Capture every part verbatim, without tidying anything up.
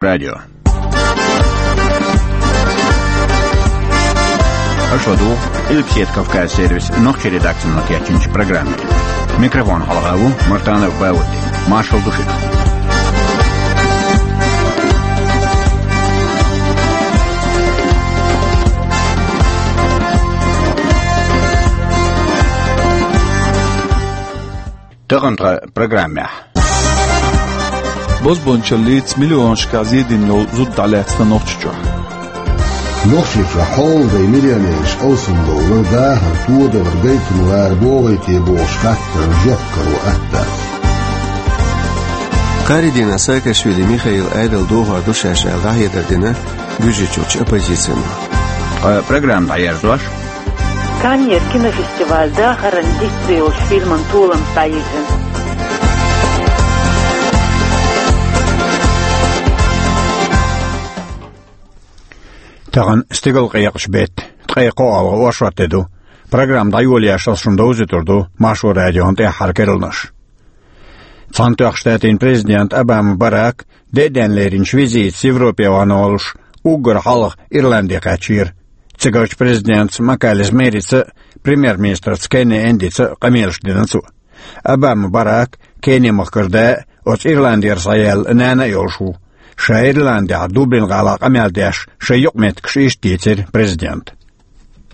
радио. Аша ладугӀу Къилбаседа Кавказ сервисан нохчийн редакцино кечйинчу программе. Микрофон хьалха ву Мартанов Баудди. Маршалла ду шуьга. Тахана тхан программехь. Бозбуунчаллица миллионашкахь зен дина йолу зуда дӀалаьцна Нохчийчохь. Нохчийчохь хьолдай миллионераш алсамдовлар, дахар, тодалар гайтина вара богӀий те бохуш хаттарна жоп каро атта. Кхаарин дийнахь Саакашвили Михаил Ӏедал дохор ду шаьш аьлла дӀахьедар дина Гуьржийчуьрчу оппозицино. Ткъа программа дӀаерзош. Каннера кинофестиваль дахаран диц йолчу фильман толамца дӀайирзина. Тахана стигалкъекъаш бетта, ткъе кхоалгӀа оршот де ду. Программа дӀайолош ас шуна довзуьйтур ду Маршо радион тӀаьххьара керланаш. Цхьаьнатоьхначу Штатийн президент Обама Барак деа денна леринчу визитца Европе вахана волуш уггар хьалха Ирланде кхаьчнера. Цигарчу президентца Макалис Мерица а, премьер-министрца Кенни Эндица а къамелаш дина цо. Обама Барак Кенни-махкара да а, оцу Ирландера схьаяьлла нана а йолуш ву. Ша Ирландехь Дублин-гӀалахь къамел деш шайн юкъаметтигаш иштта дийцира президента.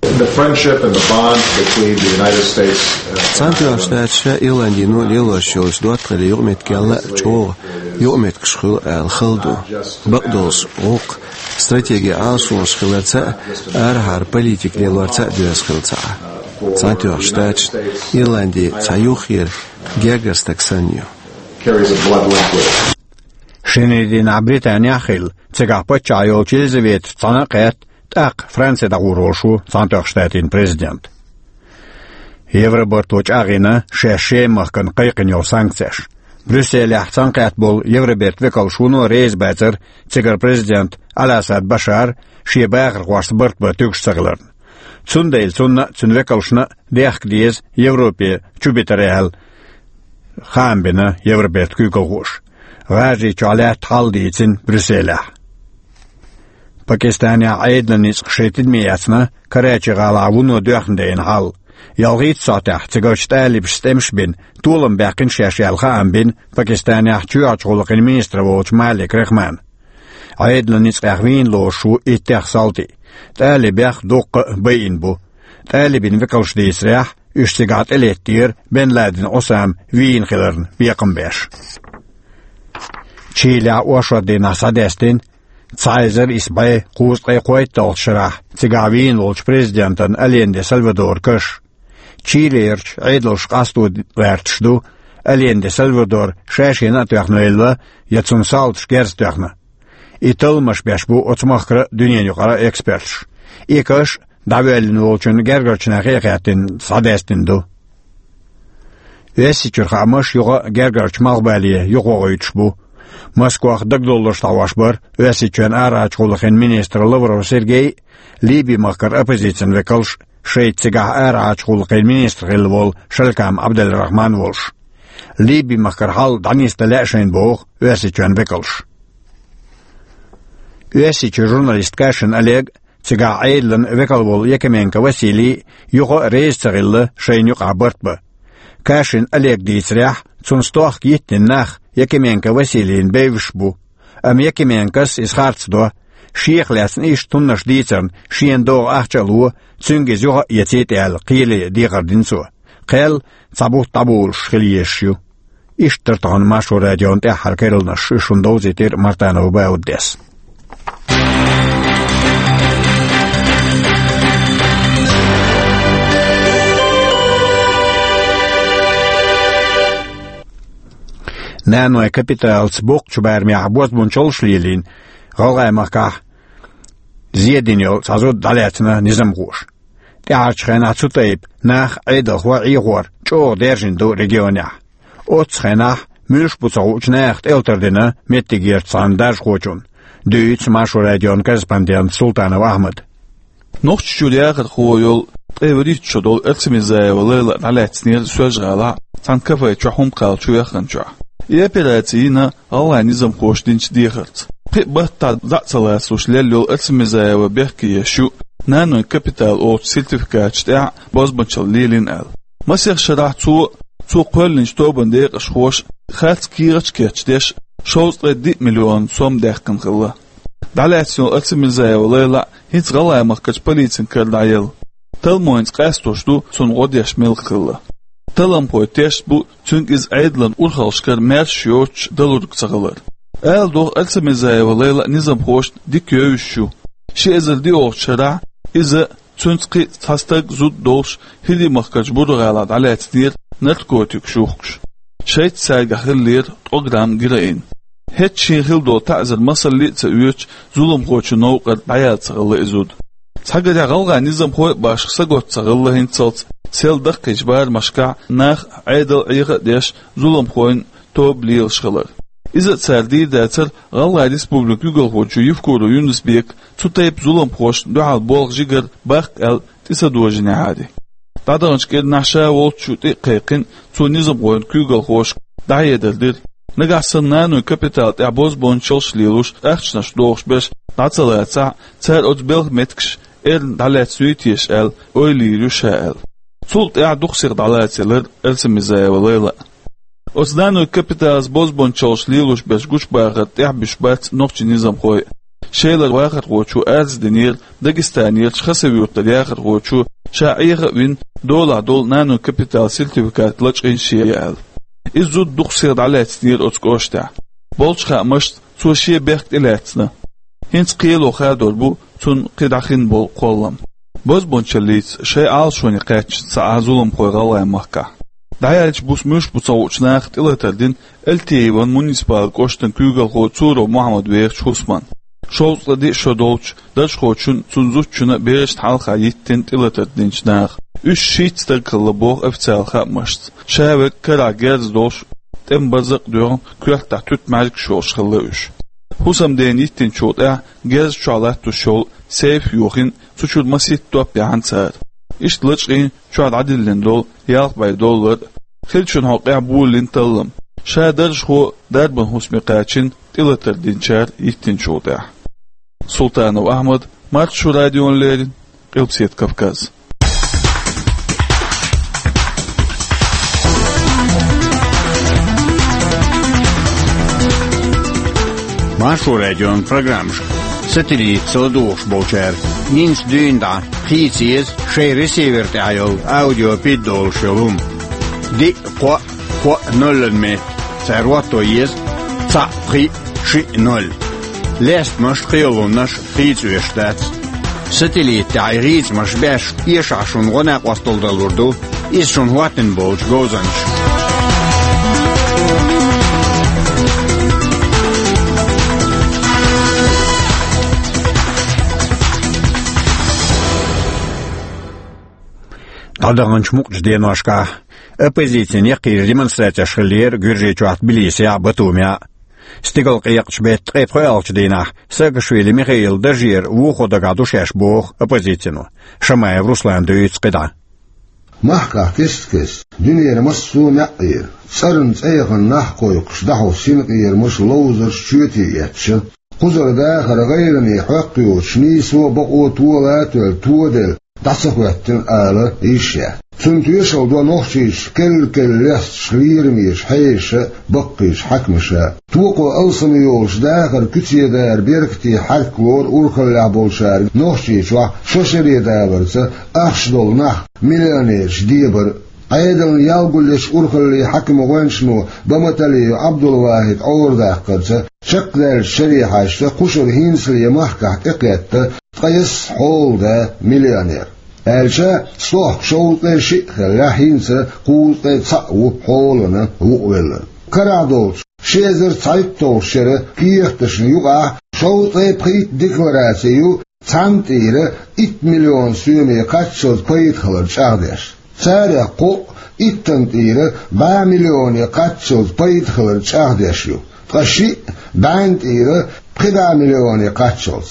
The friendship and the bond between the United States, uh, Цхьаьнатоьхначу Штаташа, Ирландино лелош йолчу доттагӀаллин юкъаметтигал а чӀогӀа юкъаметтигаш хуьлу аьлла хала ду. Бакъдолуш гӀуллакх стратегин Ӏалашонаш хиларца а, арахьара политика лелорца а доьзна хилла ца Ӏа. Цхьаьнатоьхначу Штаташна Ирланди цхьа юххера гергара стаг санна ю. Carries a blood link with it. Шинарин дийнахь Британехь а хилла, цигахь паччахь йолчу Елизаветаца цхьаьна а кхетта, тӀаккха Франце дӀагӀур волуш ву Цхьаьнатоьхначу Штатийн президент. Евробарто чӀагӀйина шаьш Шеман махкана кхайкхина йолу санкцеш. Брюсселехь цхьаьнакхетта болу Евробертан векалш вуно реза бацара цигара президент Ал-Асад Башар шен бахархошца барт бан туьгуш ца хиларна. Цундела цунна а, цуьнан векалшна а дехка деза Европе чу битар аьлла, хаам бина Евробертан куьйгалхоша. ГӀажарийчохь лаьтта хьал дийцина Брюсселехь. Пакистанехь Ӏедалан ницкъаша шайн тидаме эцна Карачи-гӀалахь вуно доьхна дайна хьал. Ялхитта сахьтехь цигарчу талибаша тӀемаш а бина, толам баьккхина шаьш аьлла хаам бина Пакистанехь чоьхьарчу гӀуллакхийн министр волчу Малик Рахмана. Ӏедалан ницкъех вийна лоруш ву иттех салти. ТӀалибех дуккха а байина бу. ТӀалибийн векалша дийцарехь, уьш цигахь тӀелеттера Бен Ладен Ӏусама вийна хиларна бекхам беш. Чилехь оршот дийнахь схьадаьстина цхьа эзар исс бӀе кхузткъе кхойтталгӀачу шарахь цигахь вийна волчу президентан Аленде Сальвадоран каш. Чилерчу Ӏедалша къасто гӀерташ ду, Аленде Сальвадор ша-шена а тоьхна велла, я цунна салташа герз тоьхна. И талламаш беш бу оцу махкара а, дуьненан юкъара а эксперташ. И каш дӀавоьллина волчун гергарчу нахе а хаьттина схьадаьстина ду. Оьрсийчуьра хаамаш юха а гергарчу малхбале юхавогӀуьйтуш бу. Москвах дагадовларш дӀахьош бара Оьрсийчоьнан арахьарчу гӀуллакхийн министр Лавров Сергей а, Ливи-махкара оппозицин векалш а, шайца цигахь арахьарчу гӀуллакхийн министр хилла волу Шалькам Абдалрахман волуш. Ливи-махкара хьал дӀанисдан лаьа шайна боху Оьрсийчоьнан векалша. Оьрсийчуьра журналист Кашин Олег а, цигахь Ӏедалан векал волу Якименко Василий а юха а реза ца хилла шайна юкъахь барт бан. Кашин Олега дийцарехь, цунна стохка йиттина нах Якименко Василийна бевзаш бу. Амма Якименкос иза харц до. Шех лаьцна иштта хӀуманаш дийцарна шена догӀу ахча а ло, цуьнга иза юха а эцийта аьлла, кхеле дехар дина цо. Кхел цхьа бутт дӀаболуш хила езаш ю. Иштта дара тахана Маршо радион тӀаьххьара керланаш, уьш шуна довзийтира Мартанов Бауддис. Наной капиталца боккхачу барамехь бозбунчаллаш лелийна ГӀалгӀай махкахь зен дина йолу цхьа зуда дӀалаьцна низамхоша. ТӀаьхьарчу хенахь цу тайпа нах, Ӏедалхой, Ӏехор чӀогӀа даьржина ду регионехь. Оццу хенахь муьлш бу ца хуучу наха тӀелатар дина меттигерчу цхьана даржахочунна, дуьйцу Маршо радион корреспондента Султанов Ахьмада. Нохчийчуьра яхархо йолу, ткъе вуьрхӀитта шо долу Арсамирзаева Лайла дӀалаьцнера Соьлжа-ГӀалахь цхьана кафе чохь хӀума кхалла чу ваьхначохь. И операци йина гӀалгӀайн низамхоша динчу дехарца. Пхи баттахь зӀе ца лацалуш лелла йолу Арсамизаева бехке еш ю, нанойн капитал олучу сертификаташ тӀехь бозбунчалла лелийна аьлла. Масех шарахь цо, цо кхоьллинчу тобанан декъашхоша харц кехаташ кечдеш, шовзткъе диъ миллион сом даьккхина хилла. ДӀалаьцна йолу Арсамизаева Лайла хӀинца ГӀалгӀай махкарчу полицин кара дӀаелла. Талламца къастош ду цунна гӀо деш мила хилла. Талламхойн тешна бу цуьнга иза Ӏедалан урхаллашкара маьрша йоцуш далург ца хилар. Ала догӀу, Арсамизаева Лайла низамхошна дика евзаш ю. Ши эзар диъолгӀачу шарахь иза, цуьнца кхин а цхьа стаг, зуда долуш, ХӀирийн махкарчу Буро-ГӀалахь дӀалаьцнера наркотикаш юхкуш. Шайца цаьргахь хиллера ткъа грамм героин. ХӀетахь шена хилла долу таӀзар масалле а ца оьцуш, зуламхочун новкъара дӀаяьлла ца хилла и зуда. Цхьагарехь гӀалгӀай низамхой а башха сагатта ца хилла хӀинццалц сел даккхийчу барамашкахь нах Ӏедал Ӏеха а деш, зуламхойн тоба лелаш хилар. Иза а цара дийр дацара ГӀалгӀай Республикан куьйгалхочо Евкуров Юнус-Бека цу тайпа зуламхошна дуьхьал болх жигара баккха аьлла тӀе ца дожийнехьара. ДӀадаханчу кӀирнахь ша волчу тӀе а кхайкхина, цо низамхойн куьйгалхошка дӀахьедар дира. Нагахь санна нанойн капитал тӀехь бозбунчаллаш лелош, ахчанаш дохуш берш дӀа ца лацахь, цара оцу белхан меттигашка эрна дӀалаьцна юй теша аьлла, ойла йийр ю ша аьлла. Цул тӀаьхьа дукха сиха дӀалацаелира Арсамизаева Лайла. Оцу нанойн капиталца бозбунчаллаш лелош берш гучубахар тӀехь буьсуш бац нохчийн низамхой а. Шелара вахархочо арз динера Дагестанерчу Хасавюртара яхархочо, ша Ӏеха а вина, долахь долу нанойн капиталан сертификат лачкъийна шен аьлла. Иза зуда дукха сиха дӀалаьцнера оцу кӀоштехь. Болчу хаамашца, цо шен бехк тӀелаьцна. ХӀинца кхело хадор бу цунна кхидӀа хин болу кхоллам. Бозбунчаллица шайн Ӏалашоне кхаьчна ца Ӏа зуламхой ГӀалгӀай махкахь. ДӀаяьллачу буса муьлш бу ца хуучу наха тӀелатар дина Альтееван муниципалан кӀоштан куьйгалхо Цуров Мохьмад вехачу хӀусамна. Шовзткъе диъ шо долчу даржхочунна, цуьнан зудчунна, берашна хьалха йиттина тӀелатар динчу наха. Уьш шийтта стаг хилла боху официалан хаамашца. Ша верг карахь герз долуш, тӀеман барзакъ а доьгӀна, коьртахь туьтмаьжигаш йолуш хилла уьш. ХӀусамдена йиттинчул тӀаьхьа герз чохь латтош йолу сейф йохийна, цу чуьра масийтта топ яьхьна цара. Иштта лачкъийна чохь дӀадиллина долу ялх бӀе доллар, хиллачун хьокъехь болийна таллам. Ша даржхо дарбан хӀусаме кхаьчна тӀелатар динчара йиттинчул тӀаьхьа. Султанов Ахьмад, Маршо радиона леррина, Къилбаседа Кавказ. Маршо радион программашка сателлитаца ладугӀуш болчара, динца дуьйна дӀа хийца еза шайн ресивер тӀехь йолу аудио пид долуш йолу хӀума. Диъ, кхоъ, кхоъ, ноль метр. Цара хӀотто еза цхьаъ, пхиъ, шиъ, ноль. Лестамаш, кхелламаш хийца оьшуш дац. Сателлит тӀехь и хийцамаш беш, эшахь шуна гӀо-накъосталла далур ду иза шуна хӀоттийна болчу говзанчаша. ДӀадаханчу мукъачу деношкахь оппозицин яккхийчу демонстрацеш хиллера Гуьржийчохь Тбилисехь а, Батумехь а. Стигалкъекъачу беттан ткъе пхоьалгӀачу дийнахь Саакашвили Михаилан даржера вухо дагахь ду шаьш, боху оппозицино. Шамаев Руслана дуьйцу кхидӀа. Махкахь кест-кеста дуьненан массо а маьӀӀера, цӀарна цӀе яхана нах кхойкхуш, дӀахьо синкъерамаш, ловзарш чоьте эцча, кхузара дахар гӀайгӀане хьоькхйоцуш, нийсо а, бакъо а тола а тоьлла, тоделла, дӀа ца хӀоьттина ала йиш яц. Цунна тоьшалла до нохчийчу керла-керла лесташ лерамеша, хьешаша а, баккхийчу хьаькамаша а. Токхо алсам йолуш дахар куьце дара беркате хьаьрклора урхаллехь болчаьрга Нохчийчохь шо шаре даларца ахча долу нах, миллионераш дебар а. Ӏедална ял гулъечу урхаллин хьаькаман гӀоьнчано Баматалиев Ӏабдулвахьида Ӏорадаккхарца, чекхдаьллачу шаре хьаьжча, кхушара хӀинцале махкахь тӀекхетта ткъайесна хьолада миллионер. Аьлча, стохка шовзткъе шиъ хиллехь, хӀинца кхузткъе цхьаъ ву хьолана вукъавелларг. Карахь долчу ши эзар цхьайтталгӀачу шеран кехаташна юкъахь шовзткъе пхийтта деклараци ю цхьана тӀера итт миллион соьме кхаччалц пайда хилар чӀагӀдеш. Царех кхоъ иттанна тӀера бӀе миллионе кхаччалц пайда хилар чӀагӀдеш ю, ткъа шиъ бӀенна тӀера пхи бӀе миллионе кхаччалц.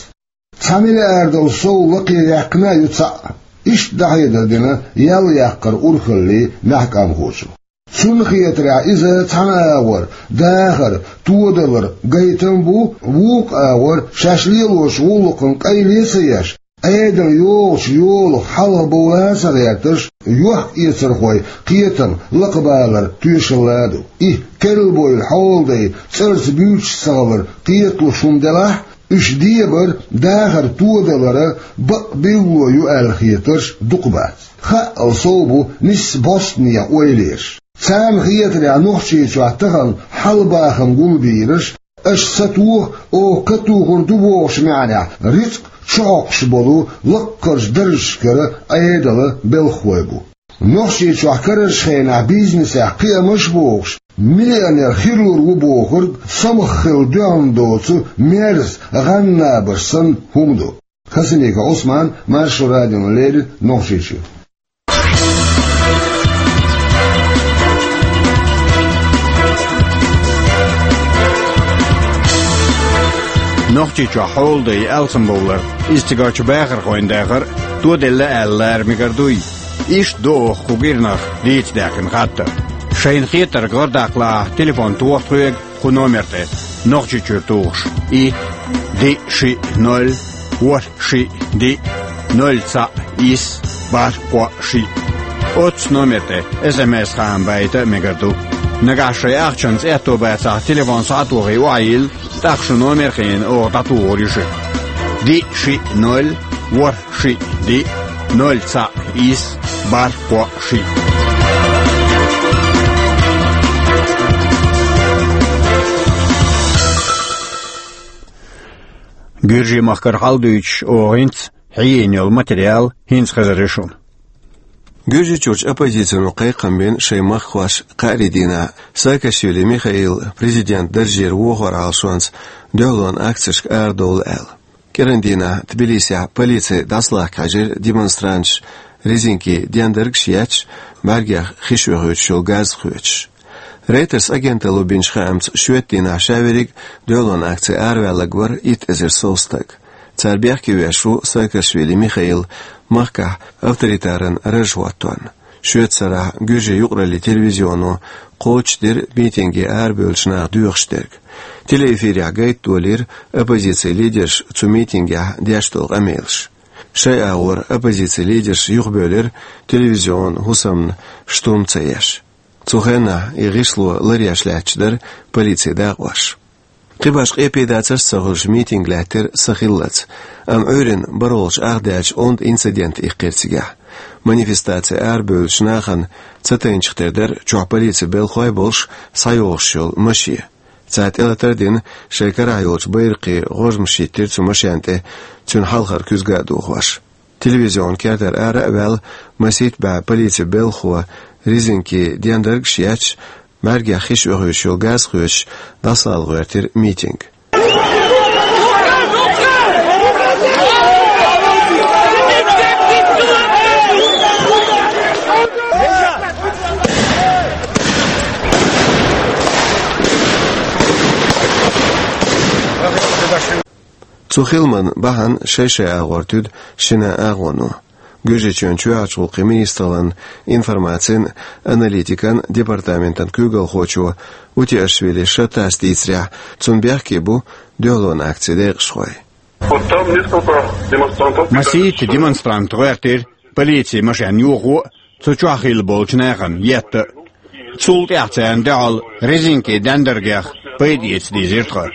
Цхьа миллиардал сов лакхе яьккхина а ю цхьаъ, иштта дӀахьедар дина ял яккхаран урхаллин маьхкамхочо. Цунна хетарехь, иза цхьана агӀор дахар, тодалар гайтам бу, вукху агӀор шаьш лелочу гӀуллакхан къайле а ца еш, Ӏедал йогӀучу йолах хьалха бовла а ца гӀерташ, йохк-эцархойн кхетам лакхабалар тоьшалла а ду. И керла бевлла хьолдай цӀарца буьйцуш ца хилар кхеталуш хӀума делахь а, уьш дебар, дахар тодалара бакъ билгало ю аьлла хетарш дукха бац. Хаъал сов бу нисса бӀостанехьа ойланаш. Царна хетарехь, Нохчийчохь тахана хьал-бахам гулбийраш, аша сатоха, оха катухур ду бохучу маьӀнехь, рицкъ чухьокхуш болу лаккхарчу даржашкара Ӏедалан белхахой бу. Нохчийчохь карарчу хенахь бизнесехь кхиамаш а бохуш, миллионер хир лур ву бохург самах хилла дуьхьал доцу мерза гӀан-набаш санна хӀума ду. Хасимиков Ӏусман, Маршо радиона леррина, Нохчийчуьра. Нохчийчохь хьолада алсамбовлар, иза цигарчу бахархойн дахар тоделла аьлла лара мегар дуй? Иштта ду оха кху кӀирнах дийца даьккхина хаттар. Шайна хетарг гӀардаккха лаахь, телефон тоха тхоьга кху номер тӀе, Нохчийчуьра тухуш: и, диъ, шиъ, ноль, ворхӀ, шиъ, диъ, ноль, цхьаъ, исс, бархӀ, кхоъ, шиъ. Оццу номер тӀе СМС-хаам байта а мегар ду. Нагахь шайн ахчанца аьтто бацахь, телефон схьа а тохий, охьайилла, тӀаккха шун номер а хиъна, оха дӀатухур ю шуьга. Диъ, шиъ, ноль, ворхӀ, шиъ, диъ, ноль, цхьаъ, исс, бархӀ, кхоъ, шиъ. Гуьржийн махкара хьал дуьйцуш, оха хӀинца хьийзийна йолу материал хӀинца хезар ю шуна. Гуьржийчуьрчу оппозицино кхайкхам бина шайн махкахошка кхаарин дийнахь Саакашвили Михаил президент даржера вохор Ӏалашонца дуьхьалонан акцешка арадовла аьлла. КӀиран дийнахь Тбилисехь полици дӀасалахка хьаьжира демонстранташ, резинкин дендаргаш а етташ, бӀаьргех хиш оьхуьйтуш йолу газ а хоьцуш. Рейтерс агенталло бинчу хаамца, шоьтан дийнахь ша верриг а дуьхьалонан акце араваьлларг вара итт эзар сов стаг. Цара бехке веш ву Саакашвили Михаил махкахь авторитаран раж хӀоттонна. Шоьтан сарахь гуьржийн юкъараллин телевизионо кхочушдира митинге арабевллачу наха доьхуш дерг. Телеэфирехь гайта долийра оппозицин лидерша цу митингехь деш долу къамелаш. Шайн агӀор оппозицин лидерша юхабевлира телевизион хӀусамна штурм ца еш. Цу хенахь и гӀишло ларъеш лаьтташ дара полицин дакъош. Кхин башха къепедацарш а ца хуьлуш, митинг лаьттира сахиллалц, амма Ӏуьйранна бархӀалгӀачу ах даьлча онда инцидент иккхира цигахь. Манифестаци арабевллачу нахана ца тайначух тера дара чохь полицин белхахой а болуш схьайогӀуш йолу машен. Цара тӀелатар а дина, шайн карахь йолчу байракхийн гӀожмаш хӀиттира цу машен тӀе, цуьнан хьалхара куьзга а дохош. Телевизион кертара ара а ваьлла, масийтта бӀе полицин белхахо резинкин дендаргаш а етташ, бӀаьргех хиш оьхуьйтуш йолу газ а хоьцуш, дӀасалала гӀоьртира митинг. Цу хиламан бахьана шай-шай агӀор туьду шина агӀоно. Гуьржийчоьнан чоьхьарчу гӀуллакхийн министраллан информацин а, аналитикан а департаментан куьйгалхочо Утиашвили Шатас дийцарехь, цунна бехке бу дуьхьалонан акцин декъашхой. Вот там несколько демонстрантов. Масийтта демонстрант гӀоьртира полицин машен йохо а, цу чохь хилла болчу нахана етта а. Цул тӀаьхьа царна дуьхьал резинкин дендаргех пайда эца дийзира тхан.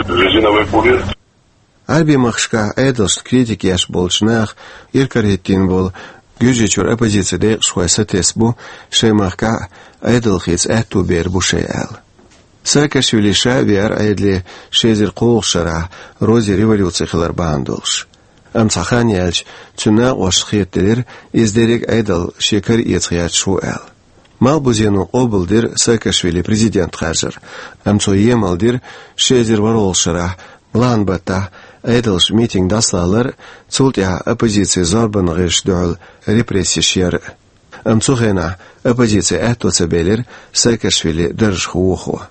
Резиновые пули. Ӏаьрбийн махкашкахь Ӏедалшна критика еш болчу наха иракарахӀиттийна болу Гуьржийчуьра оппозицин декъашхой сатесна бу, шайн махкахь а Ӏедал хийца аьтто бер бу шайн аьлла. Саакашвили ша а веара Ӏедале ши эзар кхоалгӀачу шарахь, розийн революци хилар бахьана долуш. Амма цхьа хан яьлча, цуьнан накъосташна хетаделира, иза дерриг а Ӏедал шен кара эца гӀерташ ву аьлла. Малхбузено къобалдира Саакашвили президент харжар, амма цо емал дира ши эзар ворхӀалгӀачу шарахь, лахьан баттахь, Ӏедалша митинг дӀасалалар а, цул тӀаьхьа оппозицин зорбанан гӀирсашна дуьхьал репрессеш яр а. Амма цу хенахь оппозицин аьтто ца белира Саакашвили даржах вохо.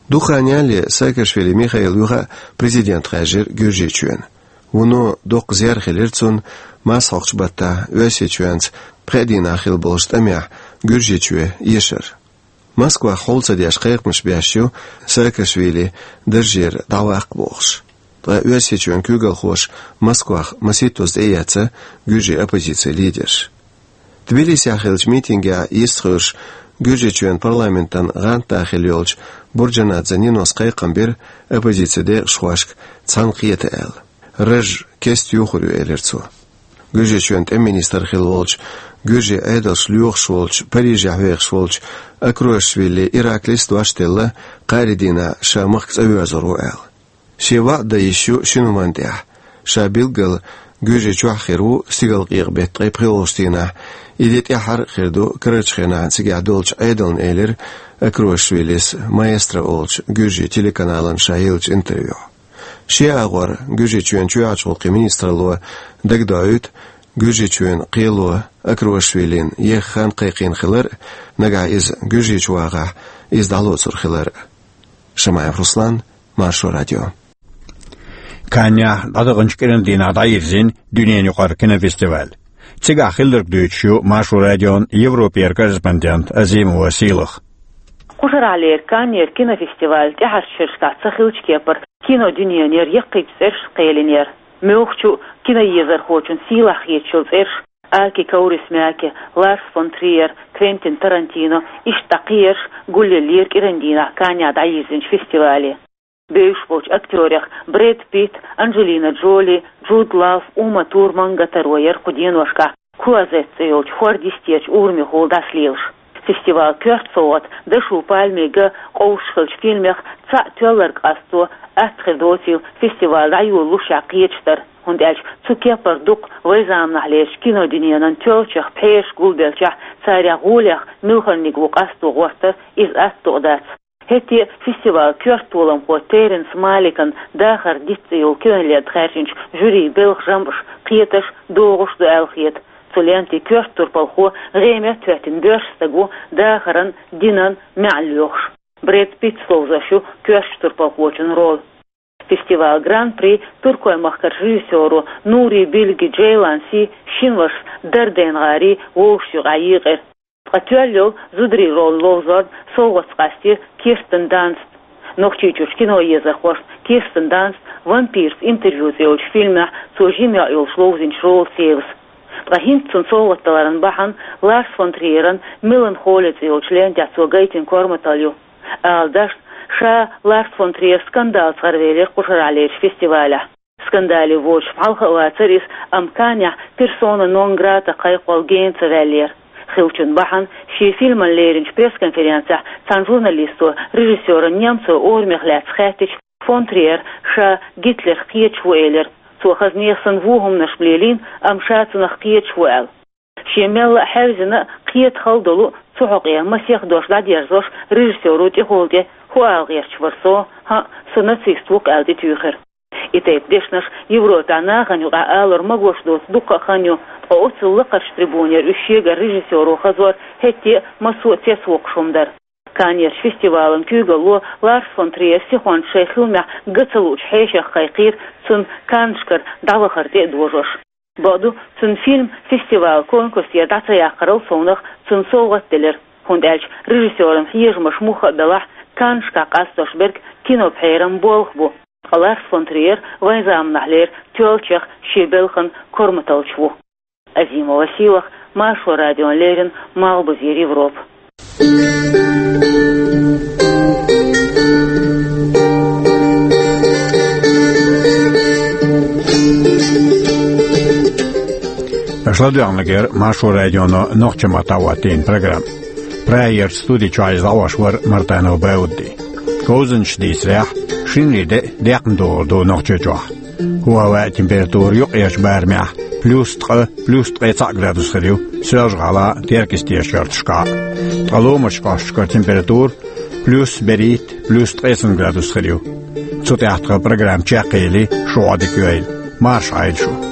Дукха хан ялале Саакашвили Михаил юха а президент хаьржира Гуьржийчоьнан. Вуно доккха зер хилира цунна, марсхьокхучу баттахь Оьрсийчоьнца пхеа дийнахь хилла болчу тӀамехь Гуьржийчоь ешар. Москвахь хьул ца деш кхайкхамаш беш ю Саакашвили даржера дӀаваккха бохуш. Ткъа Оьрсийчоьнан куьйгалхоша Москвахь масийттаза тӀеэцна гуьржийн оппозицин лидерш. Тбилисехь хиллачу митингехь йистхуьлуш, Гуьржийчоьнан парламентан гӀантда хилла йолчу Бурджанадзе Нинос кхайкхам бира оппозицин декъашхошка цхьаьна кхета аьлла. Раж кеста юхур ю, элира цо. Гуьржийчоьнан тӀеман министр хилла волчу, гуьржийн Ӏедалш лоьхуш волчу, Париже хьоьхуш волчу Акруашвили Ираклис дош делла, кхаарин дийнахь ша махка цӀа воьрзур ву аьлла. Шен ваӀда дан йиш ю шина хӀуманна тӀехь. Ша билггал Гуьржийчохь хир ву стигалкъекъа-беттан ткъе пхоьалгӀачу дийнахь, и де тӀаьххьара а хир ду карарчу хенахь цигахь долчу Ӏедална, элира Акруашвилис Маэстро олучу гуьржийн телеканална ша еллачу интервьюхь. Шен агӀор Гуьржийчоьнан чоьхьарчу гӀуллакхийн министралло дагадоуьйту, Гуьржийчоьнан кхело Акруашвилина еха хан кхайкхийна хилар а, нагахь иза Гуьржийчу вагӀахь, иза дӀалоцур хилар а. Шамаев Руслан, Маршо радио. Каннехь дӀадаханчу кӀиран дийнахь дӀайирзина дуьненан юкъара кинофестиваль. Цигахь хилларг дуьйцуш ю Маршо радион Европера корреспондент Азимова Сийлаха. Кхушарахьлера Каннера кинофестиваль тӀаьхьарчу шерашкахь ца хиллачу кепара кинодуьненера яккхийчу цӀерашца кхелинера. Муьлххачу киноезархочун сийлахь хеташ йолу цӀераш: Аки Каурисмяки, Ларс фон Триер, Квентин Тарантино, иштта кхиерш гулъеллера кӀиран дийнахь Каннехь дӀайирзинчу фестивале. Бевзаш болчу актёрех Брэд Питт, Анджелина Джоли, Джуд Лав, Ума Турман гатаро яра кху деношкахь Клозет цӀе йолчу хӀорда йистерчу урамехула дӀасалелаш. Фестивалан коьрта совгӀат дашо пальмийн ган къовсуш хиллачу фильмех цхьаъ тоьлларг къасто атта хир доцийла фестиваль дӀайолалушехь кхеташ дара, хӀунда аьлча цу кепара дукха вайн заманахьлерчу кинодуьненан тоьллачех пхьераш гулбелчахь, царех гӀолех муьлханиг ву къасто гӀортар, иза атта дукъ дац. ХӀетте а фестивалан коьрта толамхо Терренс Маликан «Дахаран диц» цӀе йолу кинолента хаьржинчу жюрин белхан жамӀаш кхеташ, догӀуш ду аьлла хета. Цу лентин коьрта турпалхо гӀеметтахӀоьттина боьрша стаг ву дахаран, динан маьӀна лоьхуш. Брэд Питт ловзош ю коьртачу турпалхочун роль. Фестивалан гран-при туркойн махкарчу режиссёро Нури Билги Джейланси шина вашас Дарден-гӀаре вовшашна юкъахь екъира. Ткъа тоьлла йолу зударийн роль ловзорна совгӀатца къастийра Кирстен Данста. Нохчийчуьрчу киноезархошна Кирстен Данста «Вампирца интервью» цӀе йолчу фильмехь цо жима йоӀ йолуш ловзинчу ролаца евза. Ткъа хӀинца цунна совгӀат даларан бахьана Ларс фон Триеран «Меланхолия» цӀе йолчу лентехь цо гайтина корматалла ю. Ала дашна, ша Ларс фон Триер скандалца гӀаравелира кхушарахьлерчу фестивалехь. Скандале воцуш хьалха а вацара иза, амма Каннехь персона нон грата кхайкхо гена ца ваьллера. Хиллачун бахьана шен фильман леринчу пресс-конференцехь цхьана журналисто режиссёран Немцовн орамех лаьцна хаьттича, фон Триер ша Гитлерх кхеташ ву элира. Цо хаза нехан санна вон хӀуманаш лелийна, амма ша цунах кхеташ ву аьлла. Шен мелла а хьаьвзина а, кхета хала долу а, цу хьокъехь масех дош дӀадерзош, режиссёро тӀехула тӀе хӀун ала гӀерташ вара со, хӀаъ, со нацист ву-кх аьлла тӀетуьйхира. И тайпа дешнаш Европехь нахана юкъахь алар магош доцу дуккха а хан ю, ткъа оццул лакхарчу трибунера уьш шегара режиссёро хазор хӀетте а массо а цецвоккхуш хӀума дара. Каннерчу фестивалан куьйгалло Ларс фон Триер сихонца шайн хиламехь ган ца луучу хьешех кхайкхийра, цунна Каннашкара дӀавахар тӀе а дожош. Бакъду, цуьнан фильм фестивалан конкурсера дӀа ца яккхарал совнаха цунна совгӀат делира, хӀунда аьлча режиссёран хьежамаш муха а белахь, Каннашкахь къастош берг кинопхьеран болх бу. Ткъа Ларс фон Триер вайн заманахьлера тоьллачех шен белхан корматаллаш ву. Азимова Сийлаха, Маршо радиона леррина, Малхбузера Европа. Аша ладоьгӀнарг яра Маршо радионо нохчийн маттахь хӀоттийна программа. Прагерчу студи чохь иза дӀахьош вара Мартанов Бауди. Говзанчаш дийцарехь, шинарин де а декхна догӀур ду Нохчийчохь. ХӀаваан температура юккъерчу барамехь плюс ткъа, плюс ткъе цхьаъ градус хир ю Соьлжа-ГӀалахь а, Теркйистера коьрташкахь а. Ткъа ломарчу кӀошташкара температура плюс берхӀитта, плюс ткъе цхьа градус хир ю. Цу тӀехь тхан программа чекхъели, шун Ӏодика йойла. Марша Ӏойла шу.